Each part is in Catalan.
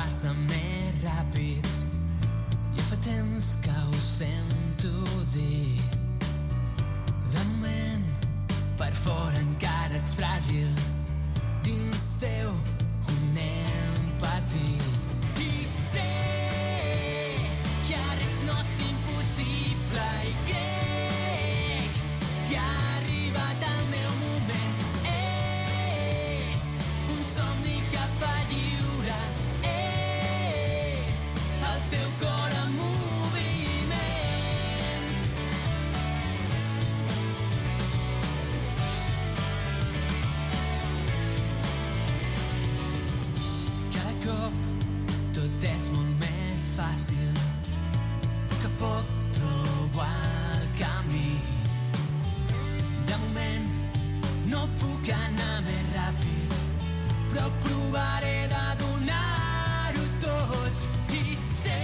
passa més ràpid. Ja fa temps que ho sento dir. De moment, per fora encara ets fràgil. Dins teu ho anem patint. I sé que res no és impossible i crec que ha arribat el meu moment. És un somni cap a lliure. És el teu cor en moviment. Cada cop tot és molt més fàcil. A poc a poc trobo el camí. De moment no puc anar més ràpid, però provaré de donar-ho tot. I sé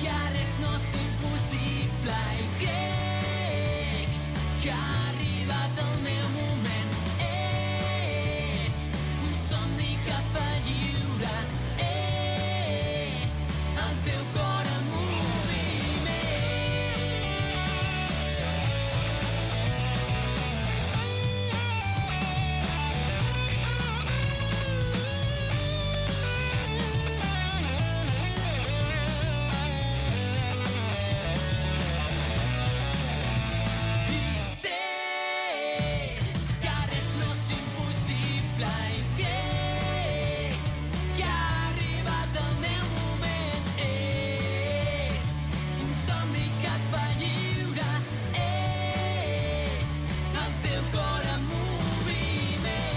que res no és impossible i crec que ha arribat el meu moment. És un somni cap a lliure. És el teu cor en moviment. I sé que res no és impossible i crec que ha arribat el meu moment. És un somni que et fa lliure. És el teu cor en moviment.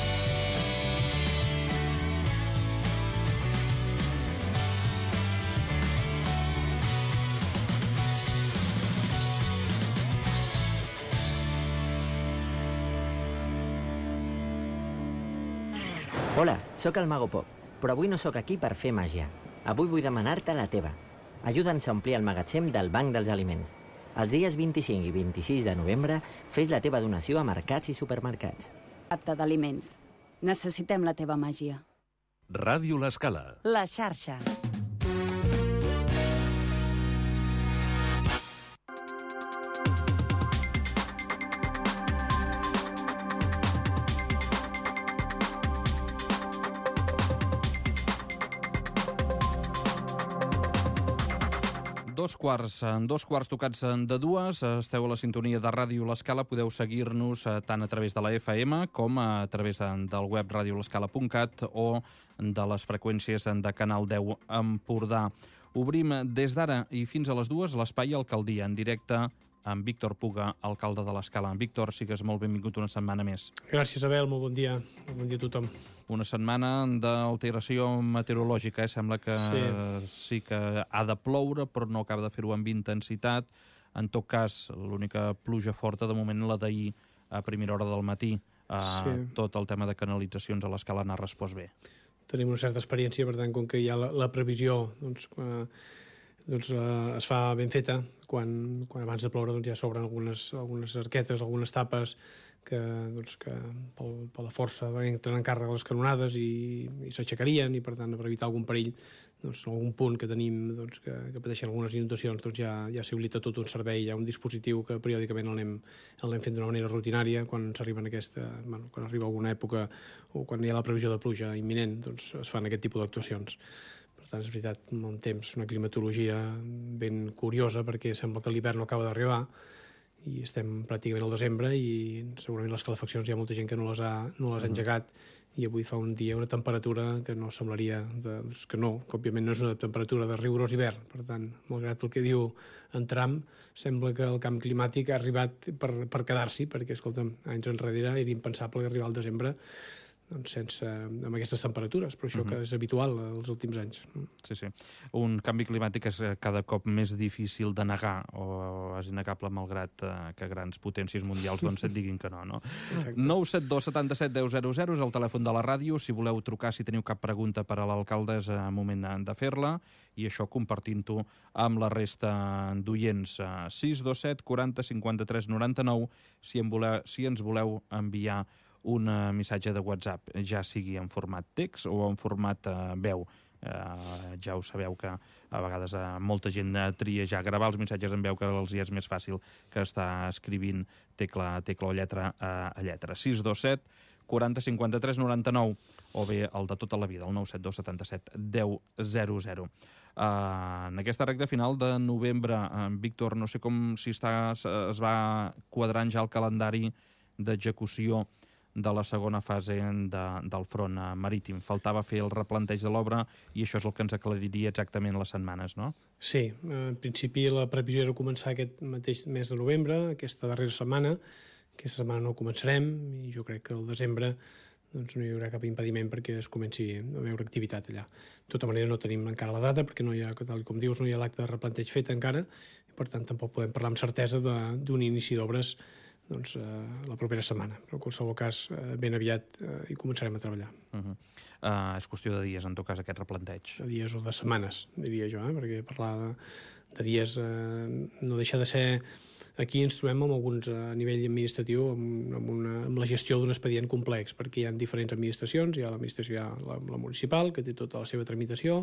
Hola, sóc el Mago Pop, però avui no sóc aquí per fer màgia. Avui vull demanar-te la teva. Ajuda'ns a omplir el magatzem del Banc dels Aliments. Els dies 25 i 26 de novembre fes la teva donació a mercats i supermercats. Apte d'aliments. Necessitem la teva màgia. Ràdio L'Escala. La xarxa. En dos quarts tocats de dues, esteu a la sintonia de Ràdio L'Escala, podeu seguir-nos tant a través de la FM com a través del web radiolescala.cat o de les freqüències de Canal 10 Empordà. Obrim des d'ara i fins a les dues l'espai Alcaldia, en directe amb Víctor Puga, alcalde de l'Escala. Víctor, sigues molt benvingut una setmana més. Gràcies, Abel, molt bon dia. Molt bon dia a tothom. Una setmana d'alteració meteorològica, Sembla que sí que ha de ploure, però no acaba de fer-ho amb intensitat. En tot cas, l'única pluja forta, de moment, la d'ahir a primera hora del matí. Tot el tema de canalitzacions a l'Escala n'ha respost bé. Tenim una certa experiència, per tant, com que hi ha la previsió, es fa ben feta. Quan abans de ploure ja s'obren algunes arquetes, algunes tapes que per la força entren en càrrega les canonades i s'aixecarien, i per tant, per evitar algun perill, en algun punt que tenim que pateixen algunes inundacions, ja s'habilita tot un servei, hi ha un dispositiu que periòdicament el anem fent d'una manera rutinària. Quan quan arriba alguna època o quan hi ha la previsió de pluja imminent, es fan aquest tipus d'actuacions. Per tant, és veritat, un temps, una climatologia ben curiosa, perquè sembla que l'hivern no acaba d'arribar i estem pràcticament al desembre i segurament les calefaccions hi ha molta gent que no les ha engegat, i avui fa un dia una temperatura que no semblaria que òbviament no és una temperatura de rigorós hivern. Per tant, malgrat el que diu en Trump, sembla que el canvi climàtic ha arribat per quedar-s'hi, perquè, escolta'm, anys enrere era impensable arribar al desembre amb aquestes temperatures, però això que és habitual els últims anys. Sí. Un canvi climàtic és cada cop més difícil de negar, o és innegable malgrat que grans potències mundials et diguin que no. 972 77 10 00 és el telèfon de la ràdio. Si voleu trucar, si teniu cap pregunta per a l'alcalde, és moment de fer-la, i això compartint-ho amb la resta d'oients. 627 40 53 99 si ens voleu enviar un missatge de WhatsApp, ja sigui en format text o en format veu. Ja ho sabeu que a vegades molta gent tria ja gravar els missatges en veu, que els és més fàcil que estar escrivint tecla o lletra a lletra. 627 40 53 99 o bé el de tota la vida, el 972 77 10 00. En aquesta recta final de novembre, Víctor, no sé si es va quadrant ja el calendari d'execució de la segona fase del front marítim. Faltava fer el replanteig de l'obra i això és el que ens aclariria exactament les setmanes, no? Sí, en principi la previsió era començar aquest mateix mes de novembre, aquesta darrera setmana. Aquesta setmana no començarem i jo crec que al desembre doncs, no hi haurà cap impediment perquè es comenci a veure activitat allà. De tota manera no tenim encara la data perquè no hi ha, tal com dius, no hi ha l'acte de replanteig fet encara i per tant tampoc podem parlar amb certesa d'un inici d'obres doncs, la propera setmana. Però en qualsevol cas ben aviat hi començarem a treballar. És qüestió de dies, en tot cas, aquest replanteig. De dies o de setmanes, diria jo, perquè parlar de dies no deixa de ser... Aquí ens trobem amb alguns a nivell administratiu amb la gestió d'un expedient complex, perquè hi ha diferents administracions, hi ha l'administració, la municipal, que té tota la seva tramitació,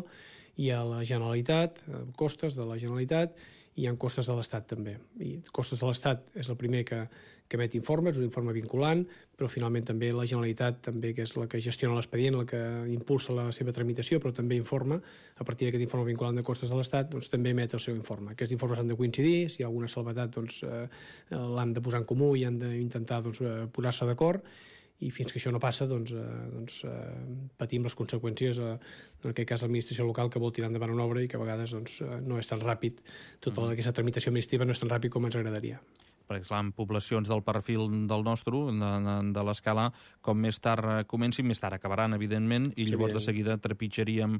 hi ha la Generalitat, costes de la Generalitat, i hi ha costes de l'Estat també. I costes de l'Estat és el primer que emet informes, un informe vinculant, però finalment també la Generalitat, també, que és la que gestiona l'expedient, la que impulsa la seva tramitació, però també informa, a partir d'aquest informe vinculant de costes de l'Estat, doncs també emet el seu informe. Aquests informes han de coincidir, si hi ha alguna salvetat doncs, l'han de posar en comú i han d'intentar doncs, posar-se d'acord, i fins que això no passa doncs, patim les conseqüències, en aquest cas l'administració local que vol tirar endavant una obra i que a vegades doncs, no és tan ràpid, tota aquesta tramitació administrativa no és tan ràpid com ens agradaria. Perquè, clar, en poblacions del perfil del nostre, de l'escala, com més tard comencin, més tard acabaran, evidentment, i llavors de seguida trepitjaríem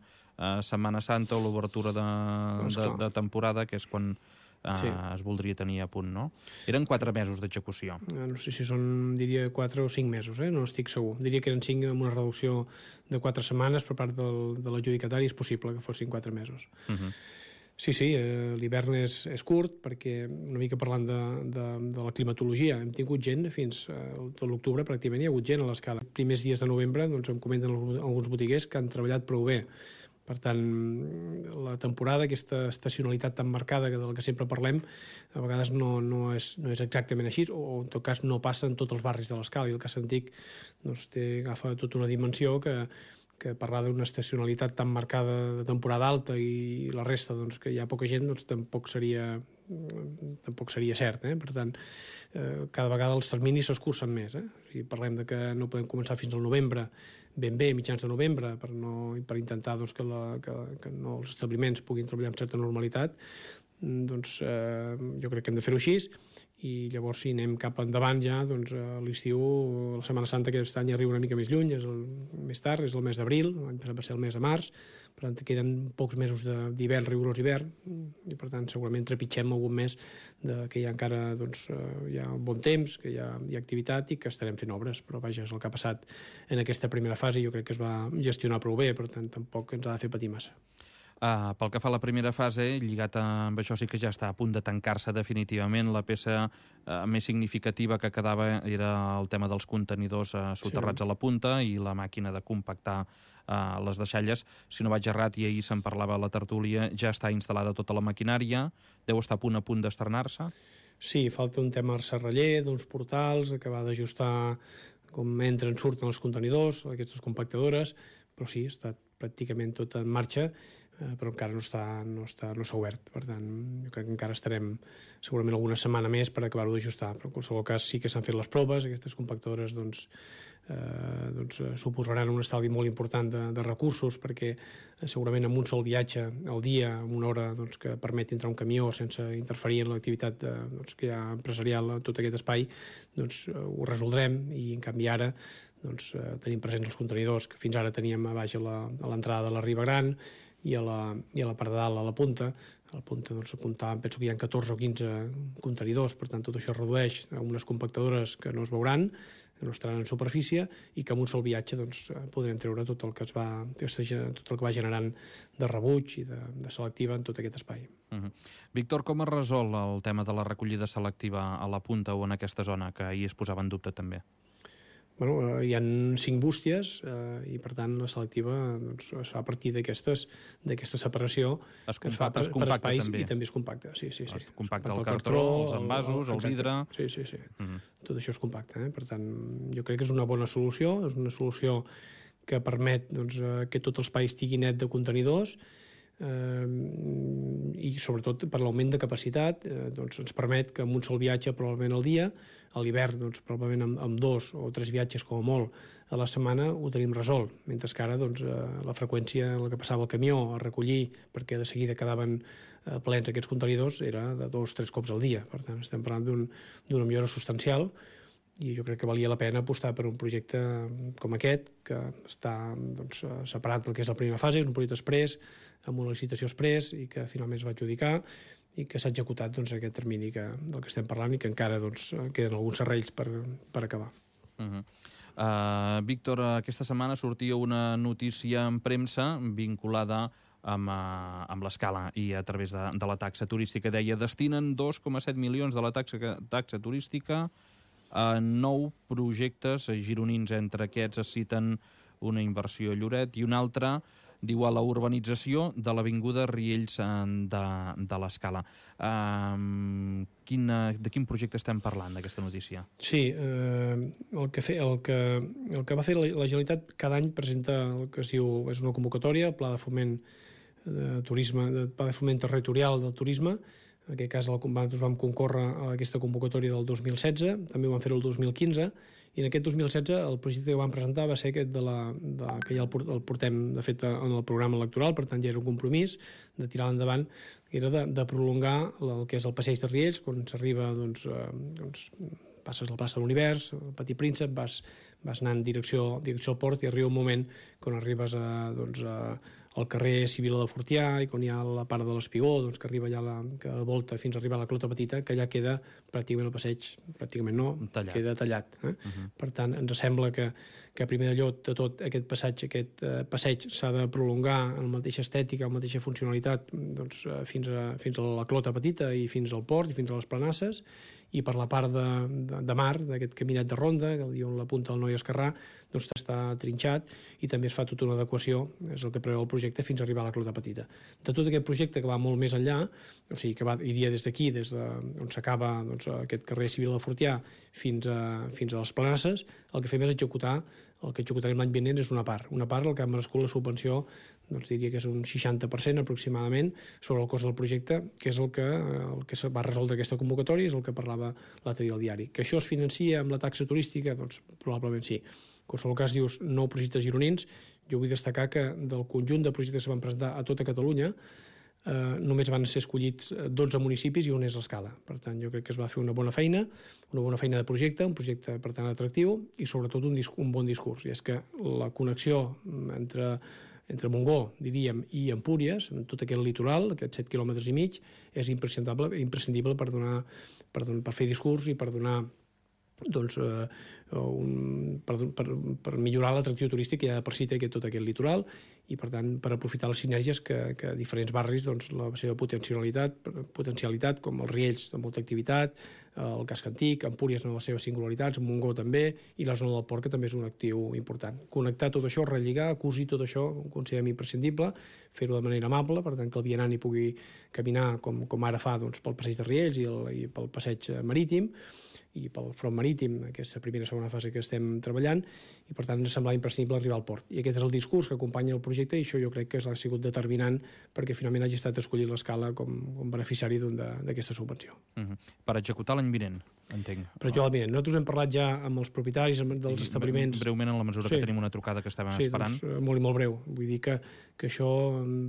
Setmana Santa o l'obertura de temporada, que és quan es voldria tenir a punt, no? Eren 4 mesos d'execució. No sé si són, diria, 4 o 5 mesos, no estic segur. Diria que eren 5 amb una reducció de 4 setmanes per part de l'adjudicatari, és possible que fossin 4 mesos. Sí, l'hivern és curt, perquè una mica parlant de la climatologia, hem tingut gent fins tot l'octubre, pràcticament hi ha hagut gent a l'escala. Els primers dies de novembre doncs, em comenten alguns botiguers que han treballat prou bé. Per tant, la temporada, aquesta estacionalitat tan marcada del que sempre parlem, a vegades no és exactament així, o en tot cas no passa en tots els barris de l'escala, i el cas antic doncs, agafa tota una dimensió que parlar d'una estacionalitat tan marcada de temporada alta i la resta doncs, que hi ha poca gent, doncs, tampoc seria cert. Per tant, cada vegada els terminis s'escurcen més. Si parlem de que no podem començar fins al novembre, ben bé, mitjans de novembre, per intentar doncs, que no els establiments puguin treballar amb certa normalitat, doncs jo crec que hem de fer-ho així, i llavors si anem cap endavant ja, doncs l'estiu, la Setmana Santa aquest any arriba una mica més lluny, és més tard, és el mes d'abril, l'any passat va ser el mes de març, per tant queden pocs mesos d'hivern, rigorós hivern, i per tant segurament trepitgem algun mes que hi ha encara doncs, hi ha bon temps, que hi ha activitat i que estarem fent obres, però vaja, és el que ha passat en aquesta primera fase, jo crec que es va gestionar prou bé, per tant tampoc ens ha de fer patir massa. Pel que fa a la primera fase, lligat amb això sí que ja està a punt de tancar-se definitivament. La peça més significativa que quedava era el tema dels contenidors soterrats a la punta i la màquina de compactar les deixalles. Si no vaig errat, i ahir se'n parlava a la tertúlia, ja està instal·lada tota la maquinària, deu estar a punt d'estrenar-se? Sí, falta un tema al serraller, d'uns portals, acabar d'ajustar com entren, surten els contenidors, aquestes compactadores, però sí, està pràcticament tot en marxa, però encara no s'ha obert. Per tant, jo crec que encara estarem segurament alguna setmana més per acabar-ho d'ajustar, però en qualsevol cas sí que s'han fet les proves, aquestes compactadores doncs, suposaran un estalvi molt important de recursos, perquè segurament amb un sol viatge al dia, amb una hora doncs, que permet entrar un camió sense interferir en l'activitat doncs, que hi ha empresarial a tot aquest espai, doncs ho resoldrem, i en canvi ara doncs, tenim presents els contenidors que fins ara teníem a baix a l'entrada de la Riba Gran i a la part de dalt, a la punta. A la punta doncs, apuntàvem, penso que hi ha 14 o 15 contenidors, per tant tot això redueix a unes compactadores que no es veuran, que no estaran en superfície, i que amb un sol viatge doncs, podrem treure tot el que va generant de rebuig i de selectiva en tot aquest espai. Víctor, com es resol el tema de la recollida selectiva a la punta o en aquesta zona, que ahir es posava en dubte també? hi ha 5 bústies i, per tant, la selectiva doncs, es fa a partir d'aquesta separació que es fa per espais també. I també és compacte. Sí. Es compacta el cartró, els envasos, el vidre... Sí. Tot això és compacte. Per tant, jo crec que és una bona solució, és una solució que permet doncs, que tot l'espai estigui net de contenidors i sobretot per l'augment de capacitat doncs ens permet que amb un sol viatge probablement al dia, a l'hivern doncs, probablement amb 2 o 3 viatges com a molt a la setmana ho tenim resolt, mentre que ara doncs, la freqüència, el que passava al camió a recollir, perquè de seguida quedaven plens aquests contenidors, era de 2 o 3 cops al dia. Per tant, estem parlant d'una millora substancial i jo crec que valia la pena apostar per un projecte com aquest, que està doncs, separat del que és la primera fase, és un projecte express, amb una licitació express i que finalment es va adjudicar i que s'ha executat doncs, aquest termini del que estem parlant i que encara doncs, queden alguns serrells per acabar. Víctor, aquesta setmana sortia una notícia en premsa vinculada amb l'escala i a través de la taxa turística. Deia, destinen 2,7 milions de la taxa turística a 9 projectes gironins. Entre aquests es citen una inversió a Lloret i una altra, diu, a la urbanització de l'avinguda Riells de l'Escala. De quin projecte estem parlant, d'aquesta notícia? Sí, el que va fer la Generalitat cada any presenta el que es diu, és una convocatòria, Pla de Foment de Turisme, Pla de Foment Territorial del Turisme. En aquest cas nosaltres vam concórrer a aquesta convocatòria del 2016, també ho vam fer el 2015, i en aquest 2016 el projecte que vam presentar va ser aquest que ja el portem, de fet, en el programa electoral, per tant ja era un compromís de tirar endavant, que era de prolongar el que és el passeig de Riells, quan s'arriba, doncs, passes a la plaça de l'Univers, el Petit Príncep, vas anant en direcció al port i arriba un moment quan arribes al carrer Civil de Fortià i quan hi ha la part de l'Espigó, doncs, que arriba ja que volta fins a arribar a la Clota Petita, que ja queda pràcticament el passeig, pràcticament no, queda tallat. Per tant, ens sembla que primer de tot aquest passeig s'ha de prolongar en la mateixa estètica, en la mateixa funcionalitat doncs, fins a la Clota Petita i fins al port i fins a les Planasses, i per la part de mar, d'aquest caminet de ronda, que el diuen la punta del Noi Esquerrà, doncs està trinxat i també es fa tota una adequació, és el que preveu el projecte, fins a arribar a la Clota Petita. De tot aquest projecte que va molt més enllà, o sigui, que iria des d'aquí, des d'on s'acaba aquest carrer Civil de Fortià fins a les Planasses, el que fem és executar, el que executarem l'any vinent és una part el que ha merescut la subvenció, doncs diria que és un 60% aproximadament sobre el cost del projecte, que és el que va resoldre aquesta convocatòria, és el que parlava l'altre dia al diari. Que això es financia amb la taxa turística? Doncs probablement sí. En qualsevol cas, dius 9 projectes gironins, jo vull destacar que del conjunt de projectes que van presentar a tota Catalunya, només van ser escollits 12 municipis i un és l'Escala. Per tant, jo crec que es va fer una bona feina de projecte, un projecte, per tant, atractiu i, sobretot, un bon discurs. I és que la connexió entre Montgó, diríem, i Empúries, amb tot aquest litoral, aquests 7 quilòmetres i mig, és imprescindible per fer discurs i per donar doncs, per millorar l'atractiu turístic que ja de per si té tot aquest litoral i, per tant, per aprofitar les sinergies que diferents barris, doncs, la seva potencialitat, com els Riells de molta activitat, el Casc Antic, Empúries en les seves singularitats, Montgó també, i la zona del port, que també és un actiu important. Connectar tot això, relligar, cosir tot això, ho considerem imprescindible, fer-ho de manera amable, per tant, que el vianant hi pugui caminar com ara fa doncs, pel passeig de Riells i pel passeig marítim, i pel front marítim, aquesta primera i segona fase que estem treballant, i per tant ens semblava imprescindible arribar al port. I aquest és el discurs que acompanya el projecte i això jo crec que ha sigut determinant perquè finalment hagi estat escollit l'Escala com beneficiari d'aquesta subvenció. Per executar l'any vinent, entenc. Per executar l'any vinent. Nosaltres hem parlat ja amb els propietaris dels establiments. Breument, en la mesura que tenim una trucada que estàvem esperant. Sí, doncs, molt i molt breu. Vull dir que això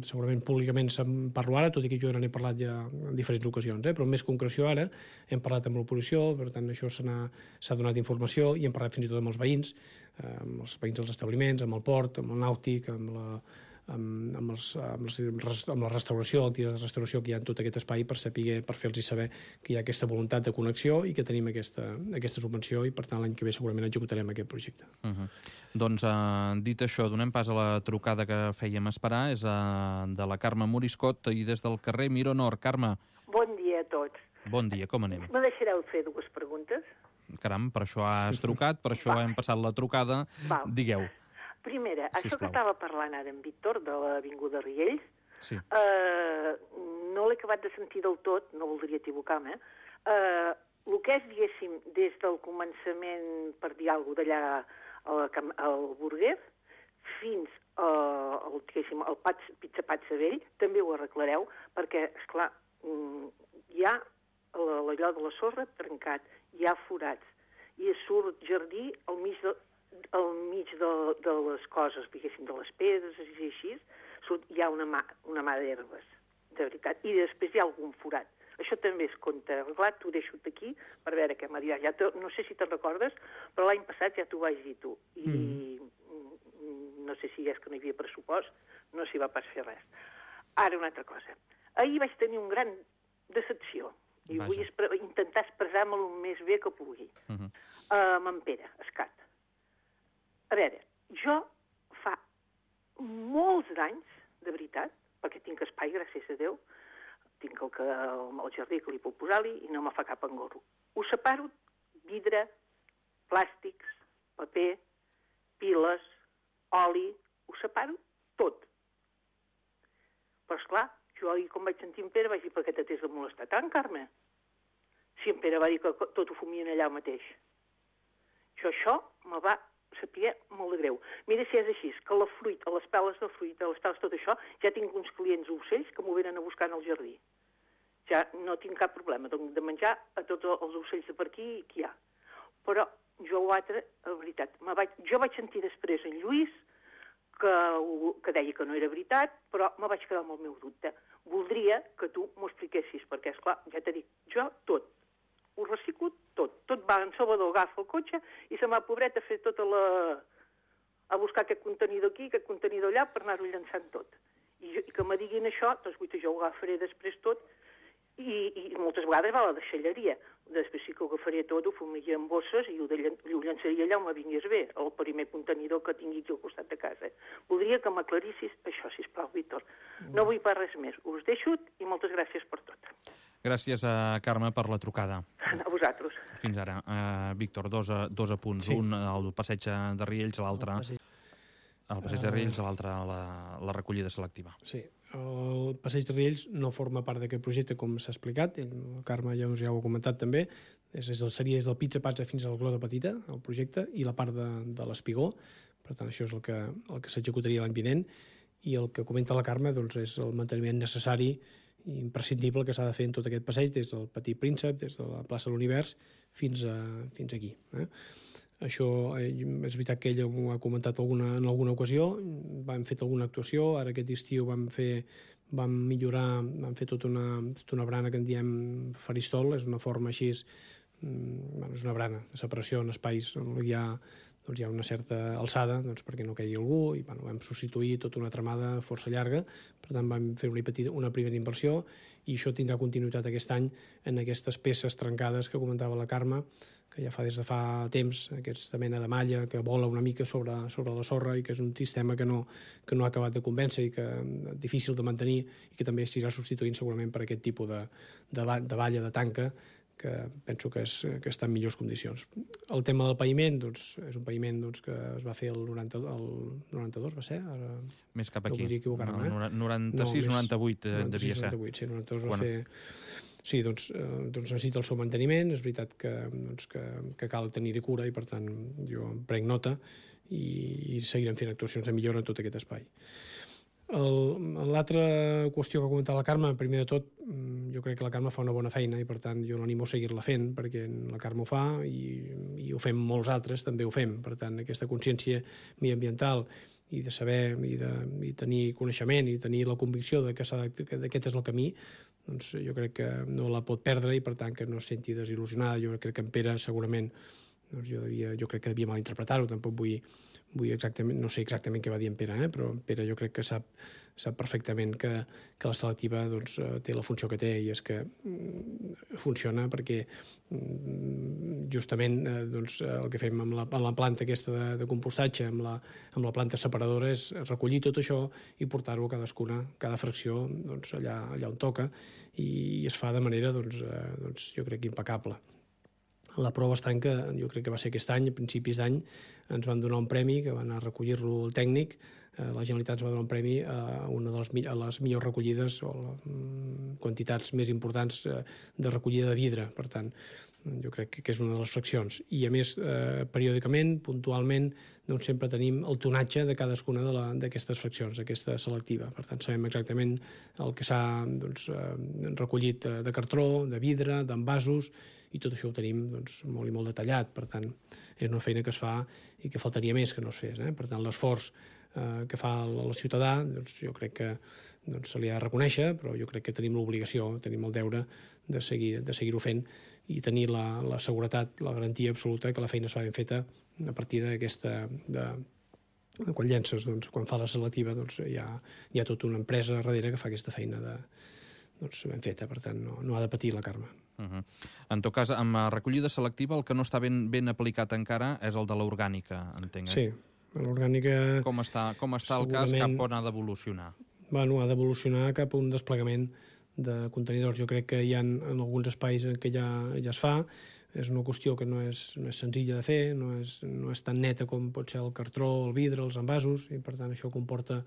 segurament públicament se'n parla ara, tot i que jo n'he parlat ja en diferents ocasions, però amb més concreció ara hem parlat amb l'oposició, per tant això s'ha donat informació i hem parlat fins i tot amb els veïns dels establiments, amb el port, amb el nàutic, amb la restauració, l'activitat de restauració que hi ha en tot aquest espai per fer-los saber que hi ha aquesta voluntat de connexió i que tenim aquesta subvenció i per tant l'any que ve segurament executarem aquest projecte. Doncs dit això, donem pas a la trucada que fèiem esperar, és de la Carme Moriscot i des del carrer Miró Nord. Carme. Bon dia a tots. Bon dia, com anem? Me deixareu fer dues preguntes? Caram, per això has trucat, per això hem passat la trucada. Val. Digueu. Primera, això que Sisplau. estava parlant ara en Víctor, de l'Avinguda Riells, Sí. no l'he acabat de sentir del tot, no voldria equivocar-me. El que és, diguéssim, des del començament, per dir alguna cosa, d'allà al Burguer, fins al, diguéssim, al Pizza Patsa Vell, també ho arreglareu, perquè, esclar, hi ha allò de la sorra trencat, hi ha forats, i surt jardí al mig de les coses, diguéssim, de les pedres i així, hi ha una mà d'herbes, de veritat, i després hi ha algun forat. Això també es compta arreglat, t'ho deixo aquí per veure què m'ha dit. No sé si te'n recordes, però l'any passat ja t'ho vaig dir tu, i no sé si és que no hi havia pressupost, no s'hi va pas fer res. Ara una altra cosa. Ahir vaig tenir un gran decepció, i vull intentar expressar-me-lo el més bé que pugui. Amb en Pere Escat. A veure, jo fa molts d'anys, de veritat, perquè tinc espai, gràcies a Déu, tinc el jardí que li puc posar-li i no me fa cap engorro. Ho separo, vidre, plàstics, paper, piles, oli, ho separo tot. Però, esclar, jo ahir, quan vaig sentir en Pere, vaig dir, per què t'has de molestar tant, Carme? Si en Pere va dir que tot ho fumien allà mateix. Això me va saber molt de greu. Mira si és així, que la fruita, les peles de fruita, les peles, tot això, ja tinc uns clients ocells que m'ho venen a buscar en el jardí. Ja no tinc cap problema de menjar a tots els ocells de per aquí que hi ha. Però jo l'altre, la veritat, jo vaig sentir després en Lluís que deia que no era veritat, però me vaig quedar amb el meu dubte. Voldria que tu m'ho expliquessis, perquè, esclar, ja t'he dit, jo tot, ho reciclo tot. Tot va en Salvador, agafa el cotxe i se'n va, pobret, a fer tota a buscar aquest contenidor aquí, aquest contenidor allà, per anar-ho llançant tot. I que me diguin això, doncs jo ho agafaré després tot, i moltes vegades va a la deixalleria. Després sí que ho agafaria tot, ho fumiria en bosses i ho llançaria allà on me vingués bé, el primer contenidor que tingui aquí al costat de casa. Voldria que m'aclarissis això, sisplau, Víctor. No vull per res més. Us deixo i moltes gràcies per tot. Gràcies a Carme per la trucada. A vosaltres. Fins ara. Víctor, dos apunts. Sí. Un al passeig de Riells, l'altre... El passeig de Riells, l'altre la recollida selectiva. Sí, el passeig de Riells no forma part d'aquest projecte, com s'ha explicat, el Carme ja ho ha comentat també, seria des del Pizza Patsa fins al Clota Petita, el projecte, i la part de l'Espigó, per tant això és el que s'executaria l'any vinent, i el que comenta la Carme doncs, és el manteniment necessari i imprescindible que s'ha de fer en tot aquest passeig, des del Petit Príncep, des de la plaça de l'Univers, fins aquí. Això és veritat que ella m'ho ha comentat en alguna ocasió, vam fet alguna actuació, ara aquest estiu vam millorar, vam fer tota una brana que en diem faristol, és una forma així, és una brana de separació en espais on hi ha una certa alçada perquè no caigui algú, i vam substituir tota una tramada força llarga, per tant vam fer una primera inversió, i això tindrà continuïtat aquest any en aquestes peces trencades que comentava la Carme, que ja fa des de fa temps, aquesta mena de malla que vola una mica sobre la sorra i que és un sistema que no ha acabat de convèncer i que és difícil de mantenir i que també s'irà substituint segurament per aquest tipus de valla, de tanca, que penso que està en millors condicions. El tema del paviment, és un paviment que es va fer el 92, va ser? Més cap aquí. No podria equivocar-me, 96, 98 devia ser. 98, sí, 92 va fer... Sí, doncs necessita el seu manteniment, és veritat que cal tenir-hi cura i per tant jo en prenc nota i seguirem fent actuacions de millora en tot aquest espai. L'altra qüestió que ha comentat la Carme, primer de tot, jo crec que la Carme fa una bona feina i per tant jo l'animo a seguir-la fent perquè la Carme ho fa i ho fem molts altres, també ho fem. Per tant, aquesta consciència mediambiental i de saber i tenir coneixement i tenir la convicció que aquest és el camí, doncs jo crec que no la pot perdre i per tant que no es senti desil·lusionada. Jo crec que en Pere segurament jo crec que devia malinterpretar-ho, tampoc vull exactament, no sé exactament què va dir en Pere, però en Pere jo crec que sap perfectament que la selectiva té la funció que té i és que funciona perquè justament el que fem amb la planta aquesta de compostatge, amb la planta separadora, és recollir tot això i portar-ho a cada fracció allà on toca i es fa de manera jo crec impecable. La prova està en que, jo crec que va ser aquest any, a principis d'any, ens van donar un premi, que va anar a recollir-lo el tècnic. La Generalitat ens va donar un premi a una de les millors recollides o quantitats més importants de recollida de vidre. Per tant, jo crec que és una de les fraccions. I, a més, periòdicament, puntualment, doncs sempre tenim el tonatge de cadascuna d'aquestes fraccions, d'aquesta selectiva. Per tant, sabem exactament el que s'ha recollit de cartró, de vidre, d'envasos, i tot això ho tenim molt i molt detallat. Per tant, és una feina que es fa i que faltaria més que no es fes. Per tant, l'esforç que fa el ciutadà, jo crec que se li ha de reconèixer, però jo crec que tenim l'obligació, tenim el deure de seguir-ho fent i tenir la seguretat, la garantia absoluta que la feina es fa ben feta a partir d'aquesta... Quan llences, quan fa la selectiva, hi ha tota una empresa darrere que fa aquesta feina ben feta, per tant, no ha de patir la Carme. En tot cas, amb la recollida selectiva, el que no està ben aplicat encara és el de l'orgànica, entenc. Sí, l'orgànica... Com està el cas, cap on ha d'evolucionar? Bueno, ha d'evolucionar cap a un desplegament de contenidors. Jo crec que hi ha en alguns espais en què ja es fa. És una qüestió que no és senzilla de fer, no és tan neta com pot ser el cartró, el vidre, els envasos, i per tant això comporta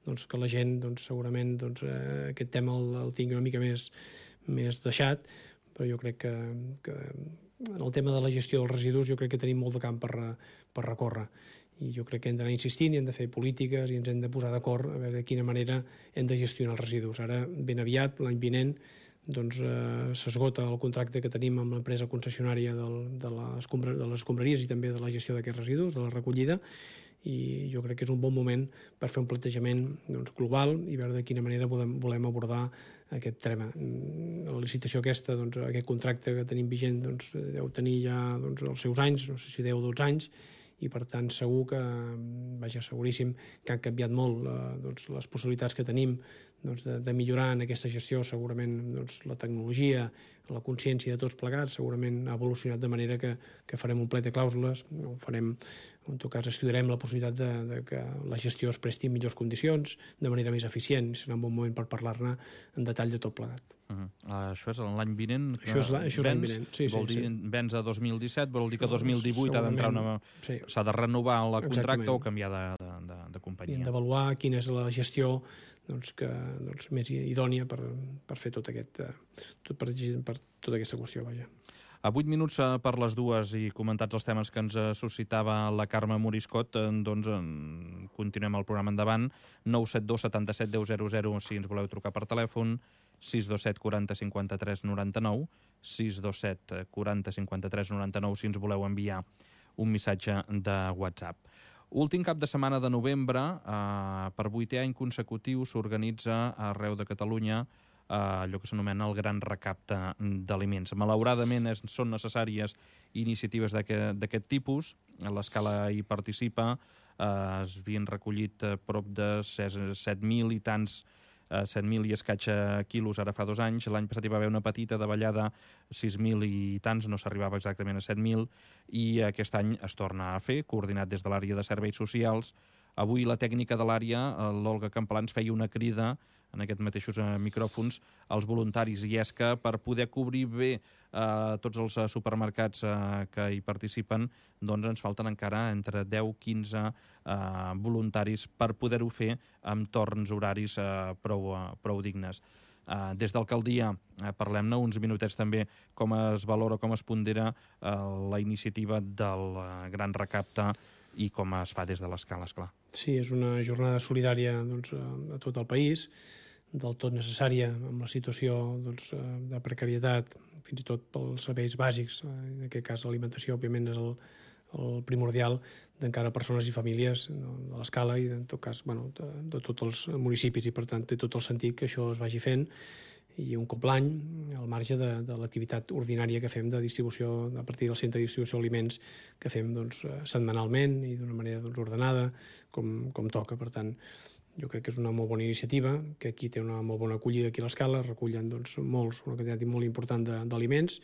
que la gent segurament aquest tema el tingui una mica més deixat, però jo crec que en el tema de la gestió dels residus jo crec que tenim molt de camp per recórrer. I jo crec que hem d'anar insistint i hem de fer polítiques i ens hem de posar d'acord a veure de quina manera hem de gestionar els residus. Ara, ben aviat, l'any vinent, s'esgota el contracte que tenim amb l'empresa concessionària de les escombraries i també de la gestió d'aquests residus, de la recollida, i jo crec que és un bon moment per fer un plantejament global i veure de quina manera volem abordar aquest tema. La licitació aquesta, aquest contracte que tenim vigent, deu tenir ja els seus anys, no sé si 10 o 12 anys, i per tant segur que, seguríssim, que han canviat molt les possibilitats que tenim de millorar en aquesta gestió. Segurament la tecnologia, la consciència de tots plegats segurament ha evolucionat de manera que farem un plet de clàusules, en tot cas estudiarem la possibilitat de que la gestió es presti en millors condicions, de manera més eficient. Serà un bon moment per parlar-ne en detall de tot plegat. Això és l'any vinent? Això és l'any vinent, sí. Vol dir vens a 2017, vol dir que 2018 ha d'entrar s'ha de renovar el contracte o canviar de companyia. I hem d'avaluar quina és la gestió més idònia per fer per tota aquesta qüestió. A 8 minuts per les dues i comentats els temes que ens suscitava la Carme Moriscot, continuem el programa endavant. 972 77 10 00 si ens voleu trucar per telèfon, 627 40 53 99, 627 40 53 99 si ens voleu enviar un missatge de WhatsApp. Últim cap de setmana de novembre, per 8è any consecutiu, s'organitza arreu de Catalunya allò que s'anomena el gran recapte d'aliments. Malauradament són necessàries iniciatives d'aquest tipus. A l'Escala hi participa, es havien recollit prop de 7.000 i tants 7.000 i escaig quilos ara fa 2 anys. L'any passat hi va haver una petita davallada, 6.000 i tants, no s'arribava exactament a 7.000, i aquest any es torna a fer, coordinat des de l'àrea de serveis socials. Avui la tècnica de l'àrea, l'Olga Camplans, feia una crida en aquests mateixos micròfons als voluntaris, i és que per poder cobrir bé tots els supermercats que hi participen, doncs ens falten encara entre 10-15 voluntaris per poder-ho fer amb torns horaris prou dignes. Des d'Alcaldia parlem-ne uns minutets també com es valora, com es pondera la iniciativa del gran recapte i com es fa des de l'Escala, esclar. Sí, és una jornada solidària a tot el país, del tot necessària amb la situació de precarietat, fins i tot pels serveis bàsics. En aquest cas l'alimentació, òbviament, és el primordial d'encara persones i famílies de l'Escala i, en tot cas, de tots els municipis, i per tant té tot el sentit que això es vagi fent, i un cop l'any, al marge de l'activitat ordinària que fem de distribució, a partir del centre de distribució d'aliments que fem setmanalment i d'una manera ordenada, com toca. Per tant, jo crec que és una molt bona iniciativa, que aquí té una molt bona acollida aquí a l'Escala, recullen una quantitat molt important d'aliments,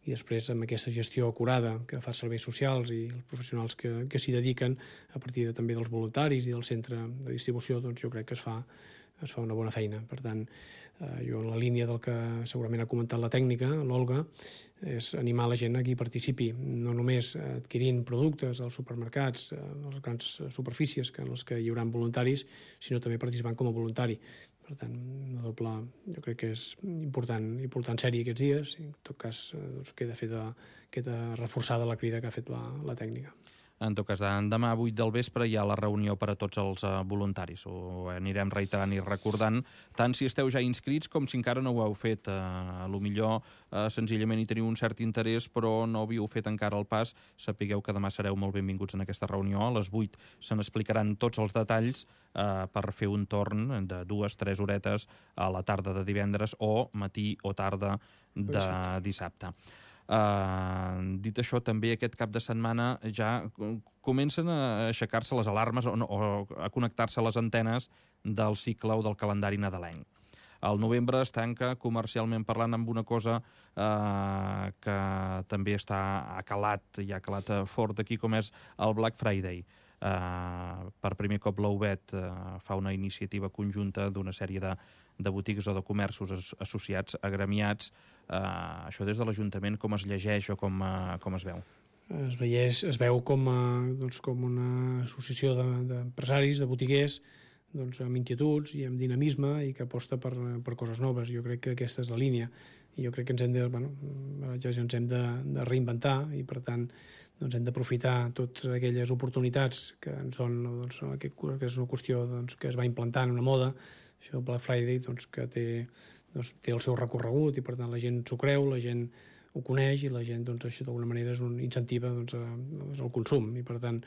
i després amb aquesta gestió acurada que fa serveis socials i els professionals que s'hi dediquen, a partir també dels voluntaris i del centre de distribució, jo crec que es fa es fa una bona feina. Per tant, jo en la línia del que segurament ha comentat la tècnica, l'Olga, és animar la gent a que hi participi, no només adquirint productes als supermercats, a les grans superfícies en les que hi haurà voluntaris, sinó també participant com a voluntari. Per tant, una doble, jo crec que és important sèrie aquests dies, i en tot cas doncs, queda reforçada la crida que ha fet la tècnica. En tot cas, demà a 8 del vespre hi ha la reunió per a tots els voluntaris. Ho anirem reiterant i recordant, tant si esteu ja inscrits com si encara no ho heu fet. A lo millor senzillament hi teniu un cert interès, però no havíeu fet encara el pas. Sapigueu que demà sereu molt benvinguts en aquesta reunió. A les 8 se n'explicaran tots els detalls per fer un torn de 2-3 horetes a la tarda de divendres o matí o tarda de dissabte. Dit això, també aquest cap de setmana ja comencen a aixecar-se les alarmes o a connectar-se les antenes del cicle o del calendari nadalenc. El novembre es tanca, comercialment parlant, amb una cosa que també ha calat fort aquí, com és el Black Friday. Per primer cop l'UBET fa una iniciativa conjunta d'una sèrie de botigues o de comerços associats, agremiats. Això des de l'Ajuntament com es llegeix o com es veu? Es veu com una associació d'empresaris, de botiguers, amb inquietuds i amb dinamisme i que aposta per coses noves. Jo crec que aquesta és la línia i jo crec que ens hem de reinventar i per tant hem d'aprofitar totes aquelles oportunitats que és una qüestió que es va implantant una moda, això del Black Friday, que té el seu recorregut i per tant la gent s'ho creu, la gent ho coneix i la gent això d'alguna manera incentiva el consum i per tant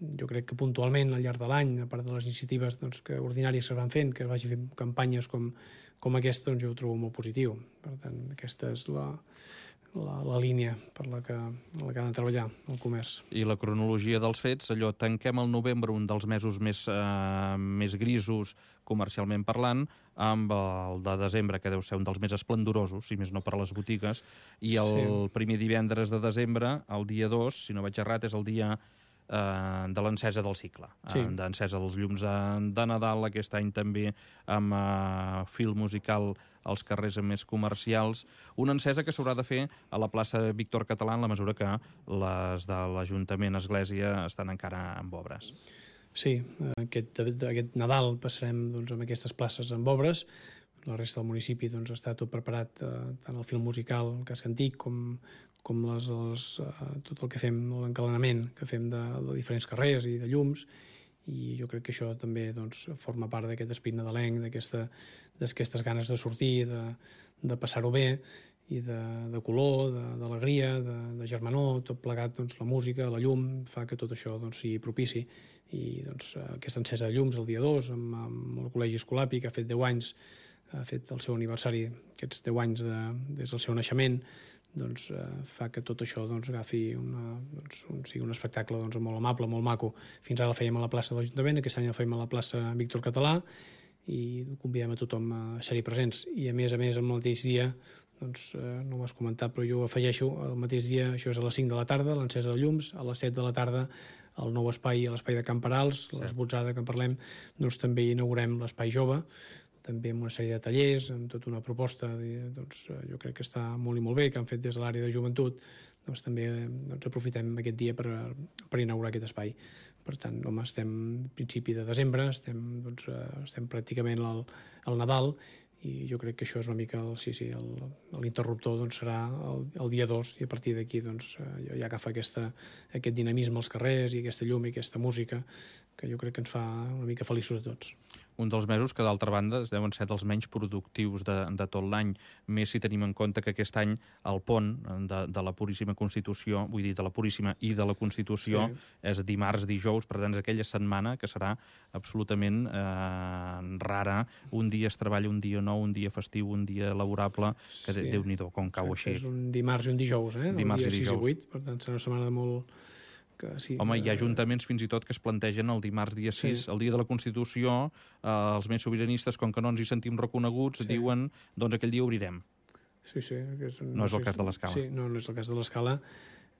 jo crec que puntualment al llarg de l'any, a part de les iniciatives que ordinàries que es van fent, que es vagi fent campanyes com aquesta, jo ho trobo molt positiu. Per tant, aquesta és la línia per la que ha de treballar el comerç. I la cronologia dels fets, allò, tanquem el novembre, un dels mesos més grisos comercialment parlant, amb el de desembre, que deu ser un dels més esplendorosos, si més no per a les botigues, i el primer divendres de desembre, el dia 2, si no vaig errat, és el dia de l'encesa del cicle, d'encesa dels llums de Nadal, aquest any també amb fil musical als carrers més comercials, una encesa que s'haurà de fer a la plaça Víctor Català en la mesura que les de l'Ajuntament Església estan encara en obres. Sí, aquest Nadal passarem amb aquestes places amb obres, la resta del municipi està tot preparat, tant el fil musical, el casc antic, com tot el que fem, l'encalenament que fem de diferents carrers i de llums, i jo crec que això també forma part d'aquest esprit nadalenc, d'aquestes ganes de sortir, de passar-ho bé, i de color, d'alegria, de germanor, tot plegat, la música, la llum, fa que tot això sigui propici. I aquesta encesa de llums el dia 2, amb el Col·legi Escolapi, que ha fet 10 anys, ha fet el seu aniversari, aquests 10 anys des del seu naixement, fa que tot això agafi sigui un espectacle molt amable, molt maco. Fins ara el fèiem a la plaça de l'Ajuntament, aquest any el fèiem a la plaça Víctor Català i convidem a tothom a ser-hi presents. I a més, el mateix dia, no ho has comentat, però jo ho afegeixo, el mateix dia, això és a les 5 de la tarda, l'encesa de llums, a les 7 de la tarda el nou espai, a l'espai de Can Perals, l'esbotzada que en parlem, també inaugurem l'espai jove, també amb una sèrie de tallers, amb tota una proposta, jo crec que està molt i molt bé, que han fet des de l'àrea de joventut, també aprofitem aquest dia per inaugurar aquest espai. Per tant, estem a principi de desembre, estem pràcticament al Nadal, i jo crec que això és una mica l'interruptor serà el dia 2 i a partir d'aquí ja agafa aquest dinamisme als carrers i aquesta llum i aquesta música que jo crec que ens fa una mica feliços a tots. Un dels mesos que, d'altra banda, deuen ser dels menys productius de tot l'any, més si tenim en compte que aquest any el pont de la Puríssima Constitució, vull dir, de la Puríssima i de la Constitució, és dimarts, dijous, per tant, és aquella setmana que serà absolutament rara. Un dia es treballa, un dia no, un dia festiu, un dia laborable, que Déu-n'hi-do, com cau així. És un dimarts i un dijous, Dimarts i dijous. 6 i 8, per tant, serà una setmana de molt... Home, hi ha ajuntaments fins i tot que es plantegen el dimarts dia 6, el dia de la Constitució, els més sobiranistes, com que no ens hi sentim reconeguts, diuen, doncs aquell dia obrirem. Sí. No és el cas de l'Escala. Sí, no és el cas de l'Escala.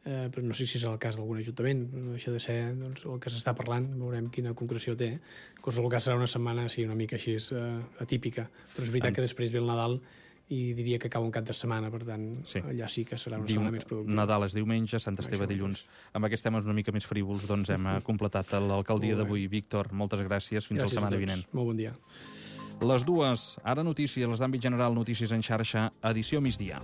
però no sé si serà el cas d'algun ajuntament, no deixa de ser doncs, el que s'està parlant, veurem quina concreció té. En qualsevol cas serà una setmana una mica així atípica, però és veritat que després ve el Nadal i diria que cau un cap de setmana, per tant, allà sí que serà una setmana més productiva. Nadal és diumenge, Sant Esteve dilluns. Amb aquests temes una mica més frívols, doncs hem completat l'alcaldia d'avui. Víctor, moltes gràcies. Fins la setmana vinent. Molt bon dia. Les dues, ara notícies, les d'àmbit general, notícies en xarxa, edició migdia.